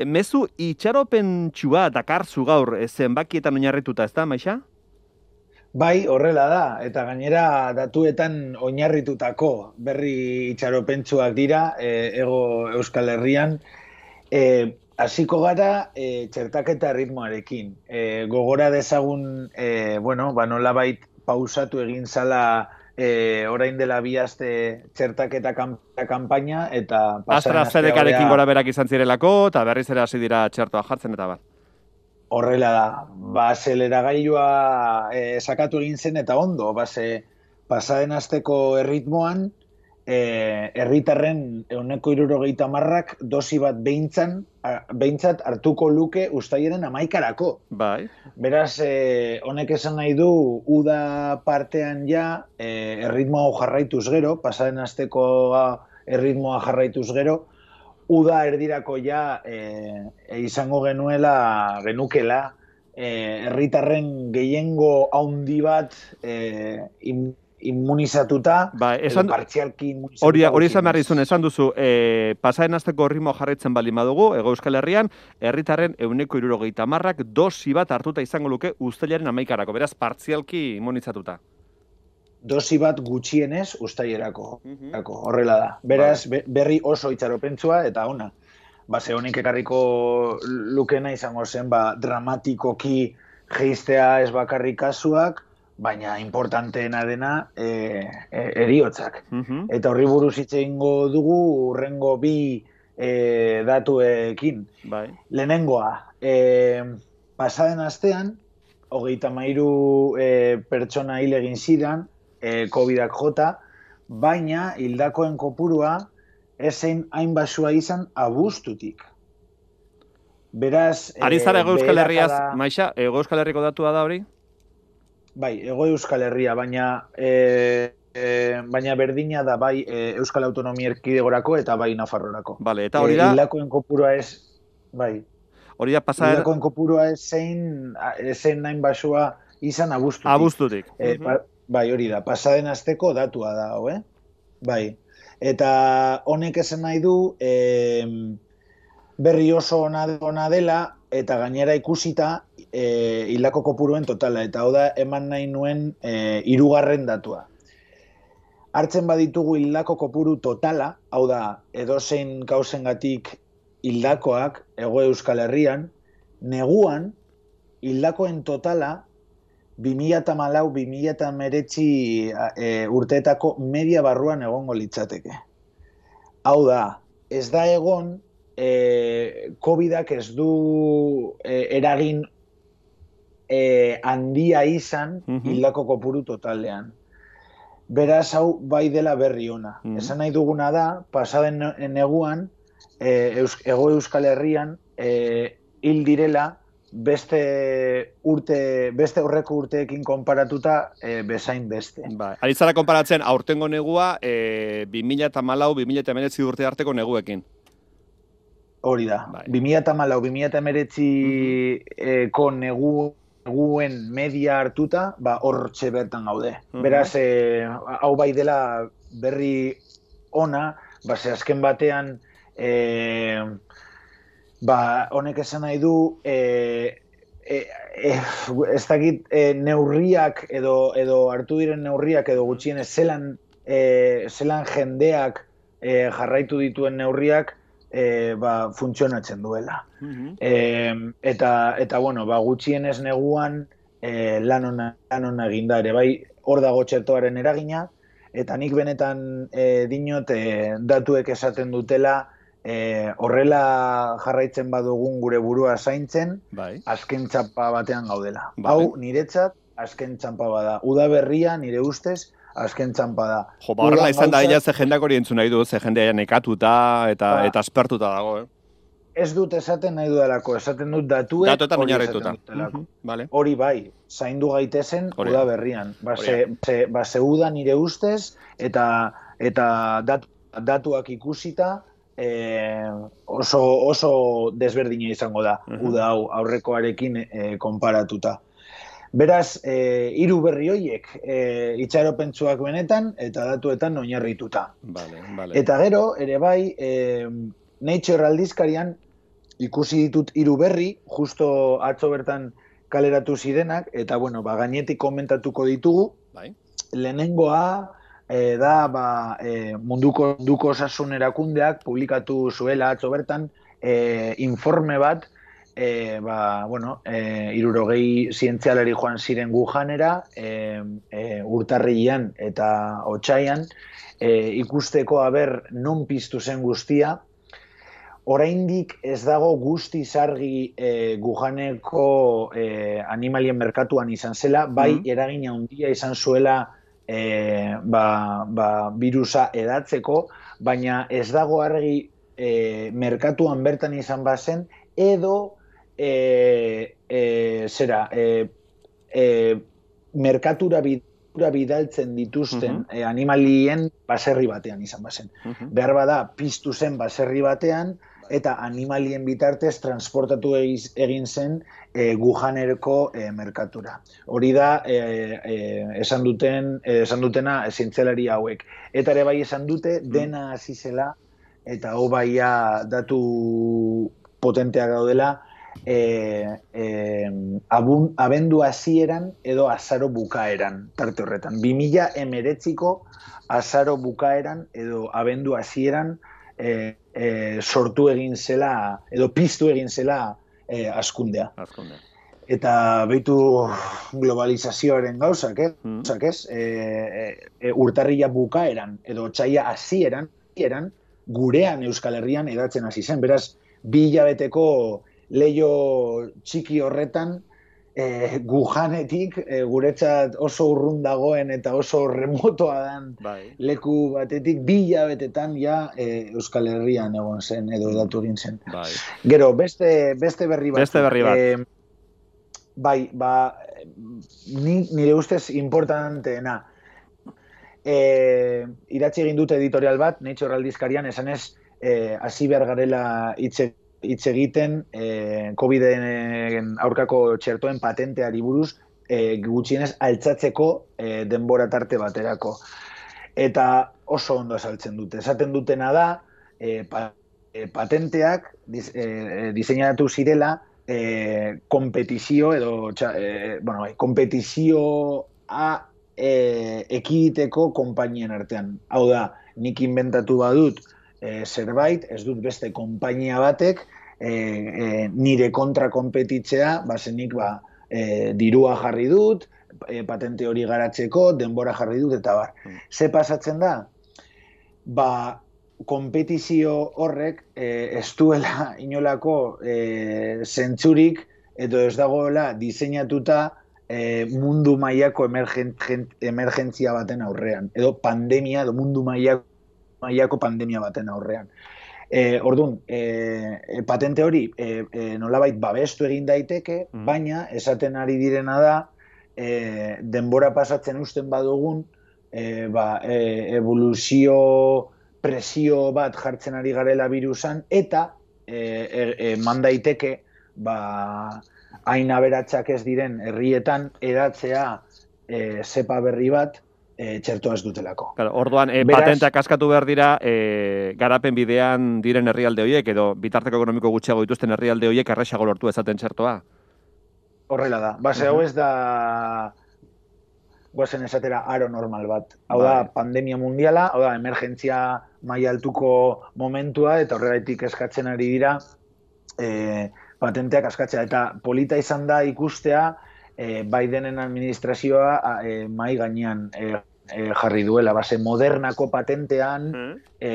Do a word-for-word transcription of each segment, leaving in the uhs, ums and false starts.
Mezu itxaropentsua dakarzu gaur zenbakietan oinarrituta, ez da, Maixa? Bai, horrela da, eta gainera datuetan oinarritutako berri itxaropentsuak dira, e, ego Euskal Herrian. E, hasiko gara e, txertaketa ritmoarekin. E, gogora dezagun, e, bueno, ba nolabait pausatu egin zala e, orain dela bi aste txertaketa kanpaina, eta pasaren astea AstraZenecarekin gora berak izan zirelako, eta berriz ere hasi dira txertoa jartzen eta bat. Horrela da, ba, azeleragailua e, sakatu egin zen eta ondo, base, pasaden asteko erritmoan, e, herritarren ehuneko hirurogeita hamarrak dosi bat behintzan, behintzat hartuko luke uztailaren hamaikarako. Bai. Beraz, e, honek esan nahi du, uda partean ja, e, erritmoa jarraituz gero, pasaden asteko erritmoa jarraituz gero, uda erdirako ja e, e, izango genuela, genukela, herritarren e, gehiengo haundi bat e, im, immunizatuta, ba, esan, edo partzialki immunizatuta. Hori, hori esan behar izun, esan duzu, e, pasaden asteko ritmo jarraitzen baldin badugu, Hego Euskal Herrian, herritarren ehuneko hirurogeita hamarrak dosi bat hartuta izango luke uztailaren hamaikarako, beraz, partzialki immunizatuta. Dosi bat gutxienez uztailerako, horrela da. Beraz, berri oso itxaropentsua eta ona. Ba, ze honik ekarriko lukena izango zen, ba, dramatikoki geistea ez bakarrik kasuak, baina importanteena dena e, e, eriotzak. Uh-huh. Eta horri buruz hitz egingo dugu urrengo bi e, datuekin. Bai. Lehenengoa, e, pasaden astean, hogeita hamairu e, pertsona hil egin ziren, E, covidak jota, baina hildakoen kopurua ezein hain basua izan abuztutik. Beraz... Ari zara Ego Euskal Herriaz, Maixa, Ego Euskal Herriko datua da hori? Bai, Ego Euskal Herria, baina e, e, baina berdina da bai e, Euskal Autonomia Erkidegorako eta bai Nafarrorako. Vale, eta hori da... E, hildakoen kopurua ez... Bai. Hori da pasaren... Hildakoen kopurua ezein ezein hain basua izan abuztutik. Abuztutik. E, uh-huh. Bai, hori da, pasaden asteko datua da, hau, eh? Bai. Eta honek esan nahi du, e, berri oso ona, ona dela, eta gainera ikusita e, hildako kopuruen totala. Eta hau da, eman nahi nuen e, hirugarren datua. Hartzen baditugu hildako kopuru totala, hau da, edozein kausengatik hildakoak, Hego Euskal Herrian, neguan, hildakoen totala, bi mila hamalau bi mila hemeretzi e, urteetako media barruan egongo litzateke. Hau da, ez da egon, e, covidak ez du e, eragin e, handia izan hildako uh-huh. kopuru totalean. Beraz, hau bai dela berri ona. Uh-huh. Esan nahi duguna da, pasaden neguan, e, Eus, Ego Euskal Herrian, e, hil direla, beste urte, beste horreko urteekin konparatuta e, bezain beste. Ba, ari zara konparatzen aurtengo negua e, bi mila hamalau bi mila hemeretzi urte arteko neguekin. Hori da. Bai. bi mila hamalau bi mila hemeretziko uh-huh. negu, neguen media hartuta, ba, hortxe bertan gaude. Uh-huh. Beraz, e, hau bai dela berri ona, ba, ze azken batean... E, Ba, honek esan nahi du, e, e, e, ez dakit e, neurriak edo, edo hartu diren neurriak edo gutxienez zelan, e, zelan jendeak e, jarraitu dituen neurriak e, ba, funtzionatzen duela. Uh-huh. E, eta, eta, bueno, ba, gutxienez neguan e, lan ona, lan ona eginda ere, bai, hor dago txertoaren eragina, eta nik benetan e, dinot e, datuek esaten dutela, E, horrela jarraitzen badugun gure burua zaintzen, bai. Azken txampa batean gaudela. Bai. Hau niretzat azken txampa bada. Uda berria nire ustez azken txampa da. Jo, ba, horrela izan da, ella ze jendeak hori entzun nahi du, ze jendea nekatuta eta, ba. eta aspertuta dago, eh? Ez dut esaten nahi dudalako, esaten dut datuek Datuetan oinarrituta. Uh-huh. Vale. Hori bai, zaindu gaitezen hori. Uda berrian. Ba, ze, ze, ba, ze uda nire ustez eta, eta datu, datuak ikusita, E, oso, oso desberdina izango da, uh-huh. uda hau aurrekoarekin e, konparatuta. Beraz, e, hiru berri horiek e, itxaropentsuak benetan eta datuetan oinarrituta. Vale, vale. Eta gero, ere bai, e, Nature aldizkarian ikusi ditut hiru berri, justo atzo bertan kaleratu zirenak, eta bueno, ba, gainetik komentatuko ditugu. Bai. Lehenengoa e, da ba, e, munduko, munduko osasun erakundeak publikatu zuela atzo bertan e, informe bat, e, ba, bueno, e, irurogei zientzialari joan ziren Wuhanera, e, e, urtarrilean eta otsaian, e, ikusteko aber non piztu zen guztia. Oraindik ez dago guzti zargi e, Wuhaneko e, animalien merkatuan izan zela, bai Mm. eragina handia izan zuela e, ba, ba, virusa edatzeko, baina ez dago argi e, merkatuan bertan izan bazen, edo e, e, zera, e, e, merkatura bidura bidaltzen dituzten Mhm. e, animalien baserri batean izan bazen. Mhm. Behar bada, piztu zen baserri batean, eta animalien bitartez transportatu egiz, egin zen e, Wuhanerko e, merkatura. Hori da, e, e, esan duten, e, esan dutena zientzialari hauek. Eta ere bai esan dute, dena hasi zela, eta hau baia datu potenteak gaudela, e, e, abun, abendu hasieran edo azaro bukaeran, tarte horretan. bi mila hemeretziko azaro bukaeran edo abendu hasieran e, e, sortu egin zela, edo piztu egin zela e, askundea. Azkundea. Eta behitu globalizazioaren gauzak, eh? Mm. gauzak ez? E, e, urtarria bukaeran, edo otsaila hasieran, hasieran, gurean Euskal Herrian edatzen hasi zen. Beraz, bi hilabeteko leio txiki horretan, e, Wuhanetik e, guretzat oso urrun dagoen eta oso remotoa den Bai. leku batetik bi hilabetetan ja e, Euskal Herrian egon zen edo edatu egin zen. Bai. Gero, beste, beste berri batzuk. Beste berri bat. E, bai, ba, ni, nire ustez importanteena. E, idatzi egin dute editorial bat, Nature aldizkarian, esanez, e, hasi behar garela hitz hitz egiten eh, COVIDen aurkako txertoen patenteari buruz eh, gutxienez altzatzeko eh, denbora tarte baterako. Eta oso ondo esaltzen dute. Esaten dutena da, eh, pa, eh, patenteak diz, eh, diseinatu zirela eh, kompetizio edo eh, bueno, kompetizioa eh, ekiditeko konpainien artean. Hau da, nik inventatu badut eh, zerbait, ez dut beste konpainia batek E, e, nire kontra konpetitzea, bazenik ba, e, dirua jarri dut, e, patente hori garatzeko, denbora jarri dut, eta bar. Mm. Ze pasatzen da? Ba, konpetizio horrek e, ez duela inolako e, zentzurik, edo ez dagoela diseinatuta e, mundu mailako emergentzia baten aurrean, edo pandemia, edo mundu mailako, mailako pandemia baten aurrean. E, Orduan, e, patente hori e, e, nolabait babestu egin daiteke, mm. baina esaten ari direna da e, denbora pasatzen usten badugun e, ba, e, evoluzio presio bat jartzen ari garela virusan eta e, e, e, man daiteke ba, hain aberatsak ez diren herrietan edatzea e, zepa berri bat E, txertoa ez dutelako. Claro, orduan, e, Beraz, patenteak askatu behar dira, e, garapen bidean diren herrialde horiek, edo bitarteko ekonomiko gutxiago dituzten herrialde horiek erresago lortu ezaten txertoa? Horrela da. Base, hau ez da guazen esatera aro normal bat. Hau da, pandemia mundiala, hau da, emergentzia maila altuko momentua, eta horregaitik eskatzen ari dira e, patenteak askatzea. Eta polita izan da ikustea, E, Bidenen administrazioa e, mai gainean e, e, jarri duela, base modernako patentean mm. e,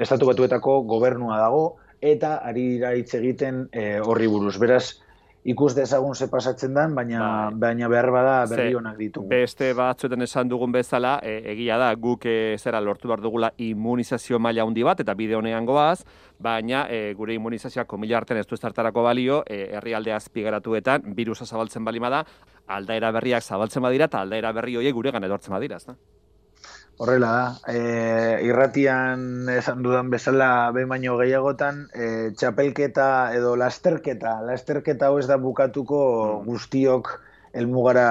estatu batuetako gobernua dago eta ari dira hitz egiten e, horri buruz. Beraz, ikus dezagun ze pasatzen den, baina, bai. baina behar bada berri honak ditugu. Beste batzuetan esan dugun bezala, e, egia da, guk e, zera lortu behar dugula immunizazio maila handi bat, eta bide honean goaz, baina e, gure immunizazioak komila artean ez du estartarako balio, e, herrialde azpigaratuetan, virusa zabaltzen balima da, aldaera berriak zabaltzen badira, eta aldaera berri horiek guregan edortzen badira, ez da? Horrela da, e, irratian esan dudan bezala behin baino gehiagotan, e, txapelketa edo lasterketa, lasterketa hau ez da bukatuko guztiok helmugara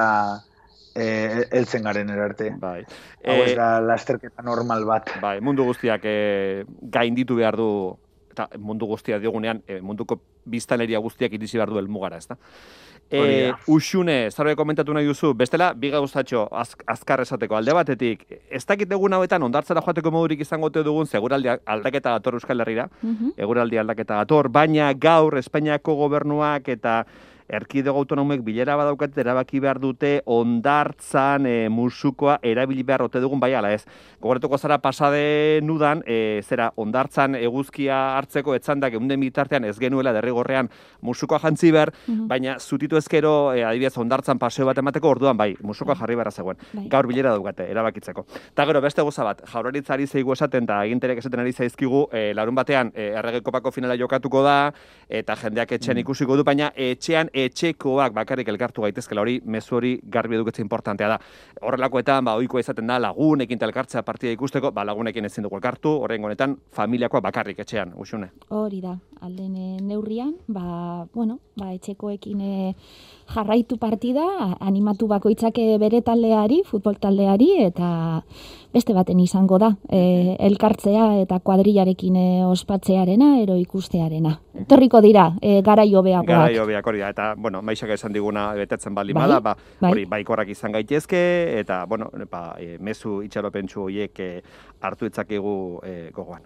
e, heltzen garen erarte. Bai. Hau ez da lasterketa normal bat. Bai, mundu guztiak e, gainditu behar du eta mundu guztia diogunean, e, munduko biztanleria guztiak iritsi behar du helmugara, ezta? E, Uxune, zarbait komentatu nahi duzu, bestela, bi gauzatxo az, azkar esateko alde batetik, ez dakit egun hauetan ondartzara joateko modurik izango ote dugun, seguraldi aldaketa dator Euskal Herrira, uh-huh. eguraldi aldaketa dator, baina gaur Espainiako gobernuak eta erkidego autonomoek bilera badaukat erabaki behar dute ondartzan e, musukoa erabili behar ote dugun bai ala ez. Gogoratuko zara pasade nudan, e, zera ondartzan eguzkia hartzeko etzandak egunden bitartean ez genuela derrigorrean musukoa jantzi behar, mm-hmm. baina zutitu ezkero e, adibidez ondartzan paseo bat emateko orduan bai, musukoa jarri beharra zegoen. Bai. Gaur bilera daukate erabakitzeko. Ta gero beste goza bat, Jaurlaritzari zeigu esaten eta aginteriak esaten ari zaizkigu, e, larun batean e, Errege Kopako finala jokatuko da eta jendeak etxean mm. ikusiko du, baina etxean etxekoak bakarrik elkartu gaitezkela, hori mezu hori garbi eduketze importantea da. Horrelakoetan, ba, ohikoa izaten da lagunekin elkartzea partida ikusteko, ba, lagunekin ezin dugu elkartu, horrengo honetan familiakoa bakarrik etxean, Uxune. Hori da, alden neurrian, ba, bueno, ba, etxekoekin jarraitu partida, animatu bakoitzak bere taldeari, futbol taldeari, eta beste baten izango da, e, elkartzea eta kuadrillarekin ospatzearena, ero ikustearena. Torriko dira, e, garai hobeagoak. Garai hobeak hori da, eta, bueno, maixak esan diguna betetzen baldin bada, ba, hori baikorrak izan gaitezke, eta, bueno, ba, e, mezu itxaropentsu horiek e, hartu itzakegu e, gogoan.